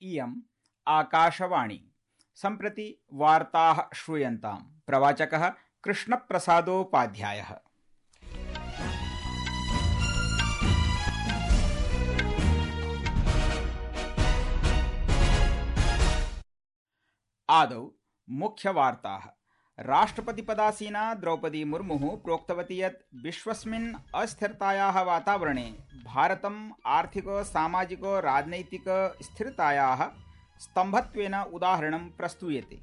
इयम् आकाशवाणी। सम्प्रति वार्ताः श्रूयन्ताम्। प्रवाचकः कृष्णप्रसादोपाध्यायः। आदौ मुख्यवार्ताः। राष्ट्रपतिपदासीना द्रौपदी मुर्मुः प्रोक्तवती यत् विश्वस्मिन् अस्थिरतायाः वातावरणे भारतम् आर्थिक सामाजिक राजनैतिक स्थिरतायाः स्तम्भत्वेन उदाहरणं प्रस्तूयते।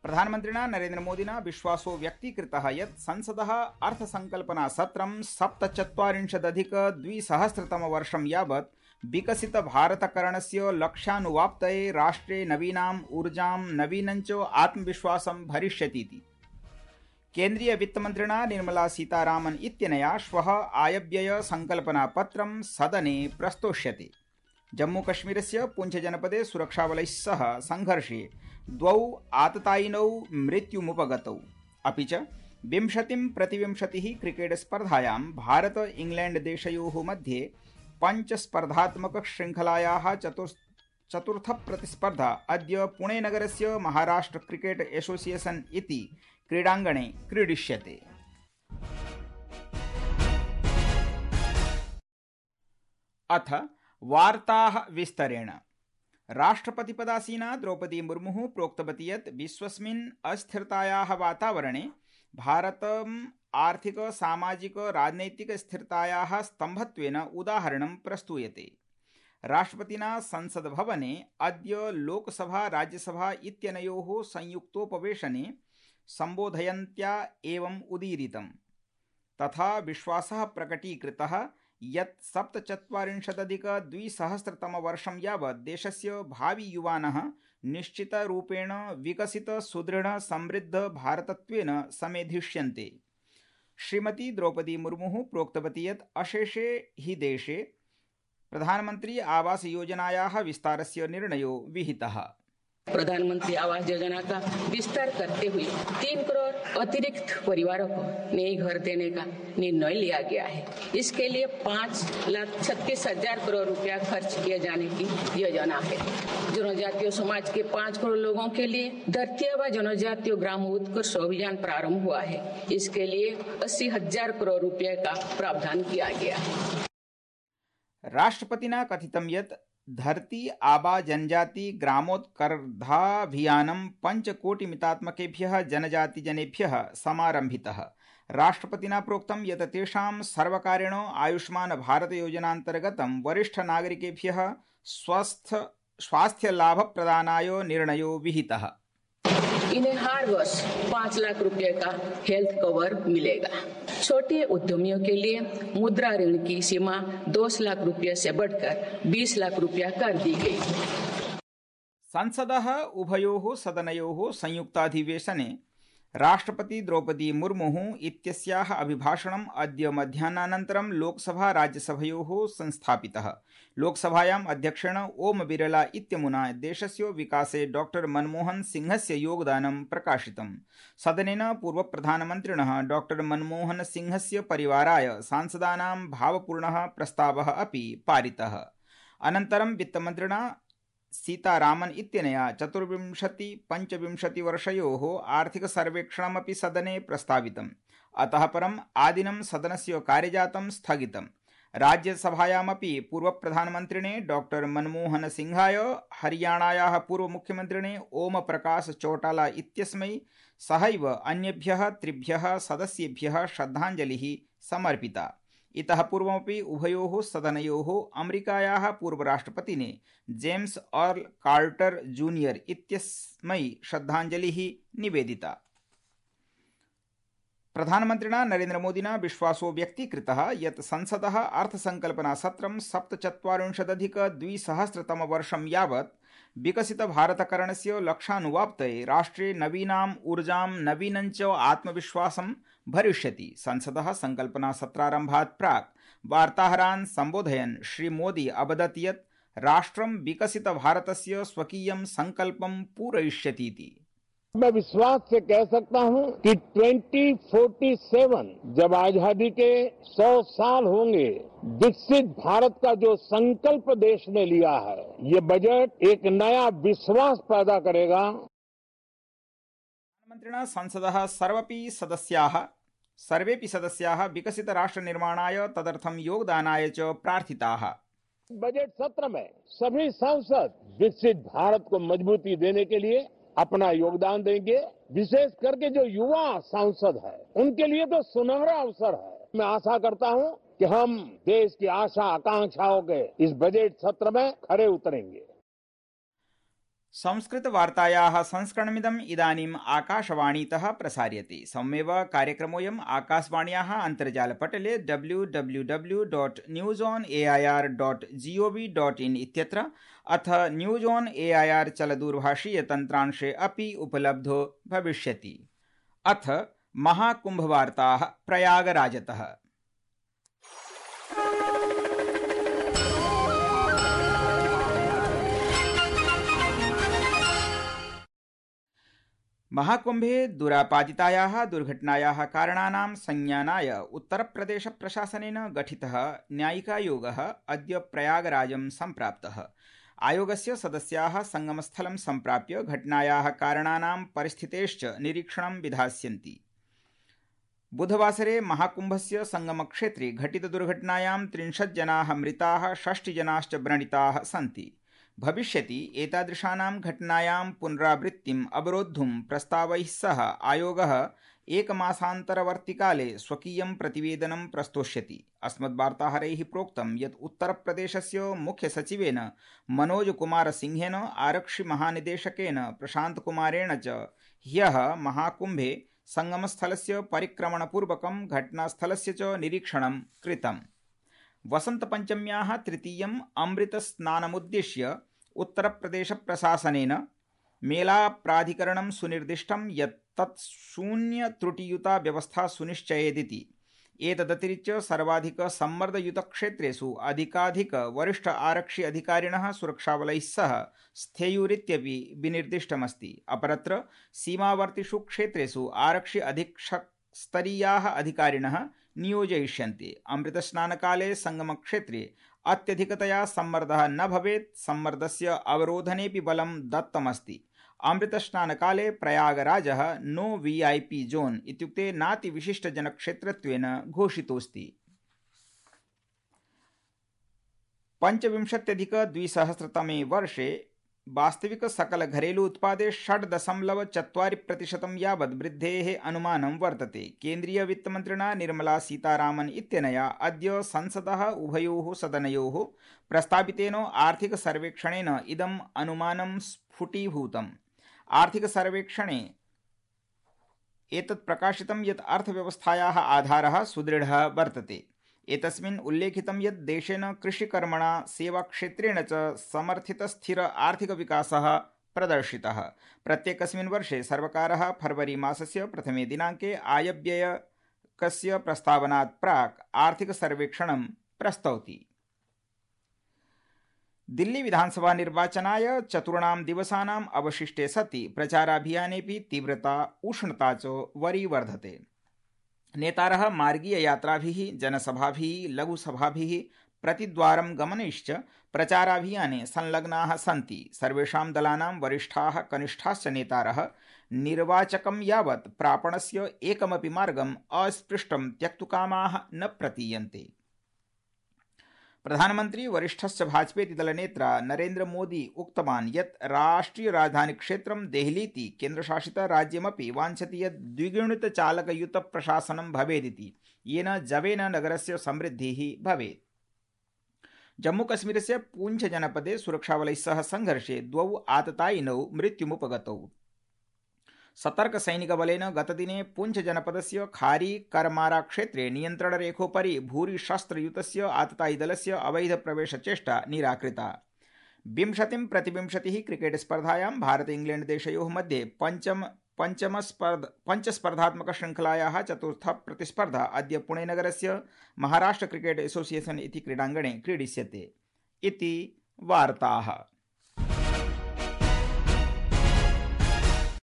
प्रधानमन्त्रिणा नरेन्द्रमोदिना विश्वासो व्यक्तीकृतः यत् संसदः अर्थसंकल्पनासत्रं 2017-2020 यावत् विकसित भारतकरणस्य लक्ष्यानुवाप्तये राष्ट्रे नवीनाम् ऊर्जां नवीनञ्च आत्मविश्वासं भरिष्यतीति केन्द्रीय वित्तमन्त्रिणा निर्मला सीतारामन् इत्यनया श्वः आयव्यय संकल्पनापत्रं सदने प्रस्तोष्यते। जम्मूकश्मीरस्य पुंछजनपदे सुरक्षाबलैः सह संघर्षे 2 आततायिनौ मृत्युमुपगतौ। अपि च 20-20 क्रिकेट स्पर्धायां भारत इंग्लैंड देशयोः मध्ये पञ्चस्पर्धात्मक श्रृंखलायाः चतुर्थ प्रतिस्पर्धा अद्य पुणे नगरस्य महाराष्ट्र क्रिकेट एसोसिएशन इति क्रीडाङ्गणे क्रीडिष्यते। अथ वार्ताः विस्तरेण। राष्ट्रपतिपदासीना द्रौपदी मुर्मुः प्रोक्तवती यत् विश्वस्मिन् अस्थिरतायाः वातावरणे भारतम् आर्थिक सामाजिक राजनैतिक स्थिरतायाः स्तम्भत्वेन उदाहरणं प्रस्तूयते। राष्ट्रपतिना संसद भवने अद्य लोकसभा राज्यसभा इत्यनयोः संयुक्तोपवेशने सम्बोधयन्त्या एवम् उदीरितम्। तथा विश्वासः प्रकटीकृतः यत् 2017-2020 यावत् देशस्य भावि युवानः निश्चितरूपेण विकसित सुदृढ समृद्ध भारतत्वेन समेधिष्यन्ते। श्रीमती द्रौपदी मुर्मुः प्रोक्तवती यत् अशेषे हि देशे प्रधानमंत्री आवास योजनायाः विस्तारस्य निर्णयो विहितः। प्रधानमंत्री आवास योजना का विस्तार करते हुए 3 करोड़ अतिरिक्त परिवारों को नए घर देने का निर्णय लिया गया है। इसके लिए 5,36,000 करोड़ रुपया खर्च किए जाने की योजना है। जनजातीय समाज के 5 करोड़ लोगों के लिए धरती आबा जनजातीय ग्राम उत्कर्ष अभियान प्रारंभ हुआ है। इसके लिए 80,000 करोड़ रुपये का प्रावधान किया गया है। राष्ट्रपतिना कथितं यत् धरती आबा जनजाति ग्रामोत्कर्षाभियानं 5 कोटिमितात्मकेभ्यः जनजातिजनेभ्यः समारम्भितः। राष्ट्रपतिना प्रोक्तं यत् तेषां सर्वकारेण आयुष्मान भारत योजनान्तर्गतं वरिष्ठ नागरिकेभ्यः स्वास्थ्य लाभ प्रदानाय निर्णयो विहितः। इन्हें हर वर्ष 5 लाख रुपए का हेल्थ कवर मिलेगा। छोटे उद्यमियों के लिए मुद्रा ऋण की सीमा 2 लाख रुपए से बढ़कर 20 लाख रुपया कर दी गई। संसदः उभयोः सदनयोः संयुक्ताधिवेशने राष्ट्रपति द्रौपदी मुर्मुः इत्यस्याः अभिभाषणम् अद्य मध्याह्नानन्तरं लोकसभा राज्यसभयोः संस्थापितः। लोकसभायाम् अध्यक्षेण ओम बिरला इत्यमुना देशस्य विकासे डॉक्टर मनमोहन सिंहस्य योगदानं प्रकाशितम्। सदनेन पूर्वप्रधानमन्त्रिणः डॉक्टर मनमोहन सिंहस्य परिवाराय सांसदानां भावपूर्णः प्रस्तावः अपि पारितः। अनन्तरं वित्तमन्त्रिणा सीतारामन् इत्यनया 24-25 वर्षयोः आर्थिक सर्वेक्षणमपि सदने प्रस्तावितम्। अतः परम् आदिनं सदनस्य कार्यजातं स्थगितम्। राज्यसभायामपि पूर्वप्रधानमन्त्रिणे डॉक्टर मनमोहन सिंहाय हरियाणायाः पूर्वमुख्यमन्त्रिणे ओम प्रकाश चौटाला इत्यस्मै सहैव अन्येभ्यः 3 सदस्येभ्यः श्रद्धाञ्जलिः समर्पिता। इतः पूर्वमपि उभयोः सदनयोः अमेरिकायाः पूर्वराष्ट्रपतिने जेम्स अर्ल कार्टर जूनियर इत्यस्मै श्रद्धाञ्जलिः निवेदिता। प्रधानमन्त्रिणा नरेन्द्रमोदिना विश्वासो व्यक्तीकृतः यत् संसदः अर्थसंकल्पनासत्रं 2017-2020 यावत् विकसित भारतकरणस्य लक्ष्यानुवाप्तये राष्ट्रे नवीनाम् ऊर्जां नवीनञ्च आत्मविश्वासं भरिष्यति। संसदः संकल्पनासत्रारम्भात् प्राक् वार्ताहरान् सम्बोधयन् श्रीमोदी अवदत् यत् राष्ट्रं विकसित भारतस्य स्वकीयं संकल्पं पूरयिष्यतीति। मैं विश्वास से कह सकता हूं कि 2047 जब आजादी के 100 साल होंगे, विकसित भारत का जो संकल्प देश ने लिया है, ये बजट एक नया विश्वास पैदा करेगा। प्रधानमन्त्रिणा संसदः सर्वेपि सदस्याः विकसित राष्ट्र निर्माणाय तदर्थं योगदानाय च प्रार्थिताः। बजट सत्र में सभी सांसद विकसित भारत को मजबूती देने के लिए अपना योगदान देंगे। विशेष करके जो युवा सांसद है, उनके लिए तो सुनहरा अवसर है। मैं आशा करता हूं कि हम देश की आशा आकांक्षाओं के इस बजट सत्र में खरे उतरेंगे। संस्कृतवार्तायाः संस्करणमिदम् इदानीम् आकाशवाणीतः प्रसार्यते। सममेव कार्यक्रमोऽयम् आकाशवाण्याः अन्तर्जालपटले www.newsonair.gov.in इत्यत्र अथ न्यूज ऑन एआईआर चलदूरभाषीयतन्त्रांशे अपि उपलब्धो भविष्यति। अथ महाकुम्भवार्ताः प्रयागराजतः। महाकुंभे दुरापादितायाः दुर्घटनायाः कारणानां संज्ञानाय उत्तरप्रदेशप्रशासनेन गठितः न्यायिकायोगः अद्य प्रयागराजं सम्प्राप्तः। आयोगस्य सदस्याः संगमस्थलं सम्प्राप्य घटनायाः कारणानां परिस्थितेश्च निरीक्षणं विधास्यन्ति। बुधवासरे महाकुंभस्य संगमक्षेत्रे घटितदुर्घटनायां 30 जनाः मृताः, 60 जनाश्च व्रणिताः सन्ति। भविष्यति एतादृशानां घटनायां पुनरावृत्तिम् अवरोद्धुं प्रस्तावैः सह आयोगः एकमासान्तरवर्तिकाले स्वकीयं प्रतिवेदनं प्रस्तोष्यति। अस्मद्वार्ताहरैः प्रोक्तं यत् उत्तरप्रदेशस्य मुख्यसचिवेन मनोज कुमार सिंहेन, आरक्षिमहानिदेशकेन प्रशान्तकुमारेण च ह्यः महाकुम्भे संगमस्थलस्य परिक्रमणपूर्वकं घटनास्थलस्य च निरीक्षणं कृतम्। वसन्तपञ्चम्याः तृतीयम् अमृतस्नानमुद्दिश्य उत्तरप्रदेशप्रशासनेन मेलाप्राधिकरणं सुनिर्दिष्टं यत् तत् शून्यत्रुटियुता व्यवस्था सुनिश्चयेदिति। एतदतिरिच्य सर्वाधिकसम्मर्दयुतक्षेत्रेषु अधिकाधिक वरिष्ठ आरक्षि अधिकारिणः सुरक्षाबलैः सह स्थेयुरित्यपि विनिर्दिष्टमस्ति। अपरत्र सीमावर्तिषु क्षेत्रेषु आरक्षि अधीक्षकस्तरीयाः अधिकारिणः नियोजयिष्यन्ते। अमृतस्नानकाले संगमक्षेत्रे अत्यधिकतया सम्मर्दः न भवेत्, सम्मर्दस्य अवरोधनेऽपि बलं दत्तमस्ति। अमृतस्नानकाले प्रयागराजः नो वीआईपी जोन इत्युक्ते नातिविशिष्टजनक्षेत्रत्वेन घोषितोऽस्ति। 25,200 वर्षे वास्तविक सकल घरेलू उत्पादे 6.4% यावत् वृद्धेः अनुमानं वर्तते। केन्द्रीय वित्तमन्त्रिणा निर्मला सीतारामन् इत्यनया अद्य संसदः उभयोः सदनयोः प्रस्तावितेन आर्थिक सर्वेक्षणेन इदम् अनुमानं स्फुटीभूतम्। आर्थिक सर्वेक्षणे एतत् प्रकाशितं यत् अर्थव्यवस्थायाः आधारः सुदृढः वर्तते। एतस्मिन् उल्लेखितं यत् देशेन कृषिकर्मणा सेवाक्षेत्रेण च समर्थितस्थिर आर्थिकविकासः प्रदर्शितः। प्रत्येकस्मिन् वर्षे सर्वकारः फरवरी मासस्य प्रथमे दिनाङ्के आयव्ययकस्य प्रस्तावनात् प्राक् आर्थिक सर्वेक्षणं प्रस्तौति। दिल्ली विधानसभा निर्वाचनाय 4 दिवसानाम् अवशिष्टे सति प्रचाराभियानेऽपि तीव्रता उष्णता च वरीवर्धते। नेतारः मार्गीययात्राभिः, जनसभाभिः, लघुसभाभिः, प्रतिद्वारं गमनैश्च प्रचाराभियाने संलग्नाः सन्ति। सर्वेषां दलानां वरिष्ठाः कनिष्ठाश्च नेतारः निर्वाचकं यावत् प्रापणस्य एकमपि मार्गम् अस्पृष्टं त्यक्तुकामाः न प्रतीयन्ते। प्रधानमन्त्री वरिष्ठश्च भाजपेति दलनेत्रा नरेन्द्र मोदी उक्तवान् यत् राष्ट्रिय राजधानी क्षेत्रं देहलीति केन्द्रशासितराज्यमपि वाञ्छति यत् द्विगुणितचालकयुतप्रशासनं भवेदिति, येन जवेन नगरस्य समृद्धिः भवेत्। जम्मूकश्मीरस्य पूंछ जनपदे सुरक्षाबलैः सह संघर्षे 2 आततायिनौ मृत्युमुपगतौ। सतर्कसैनिकबलेन गतदिने पूंछ जनपदस्य खारी करमारा क्षेत्रे नियन्त्रणरेखोपरि भूरिशस्त्रयुतस्य आततायिदलस्य अवैध प्रवेशचेष्टा निराकृता। 20-20 क्रिकेट स्पर्धायां भारत इंग्लैंड देशयोः मध्ये पञ्चस्पर्धात्मकशृङ्खलायाः चतुर्थ प्रतिस्पर्धा अद्य पुणेनगरस्य महाराष्ट्र क्रिकेट एसोसिएशन इति क्रीडाङ्गणे क्रीडिष्यते। इति वार्ताः।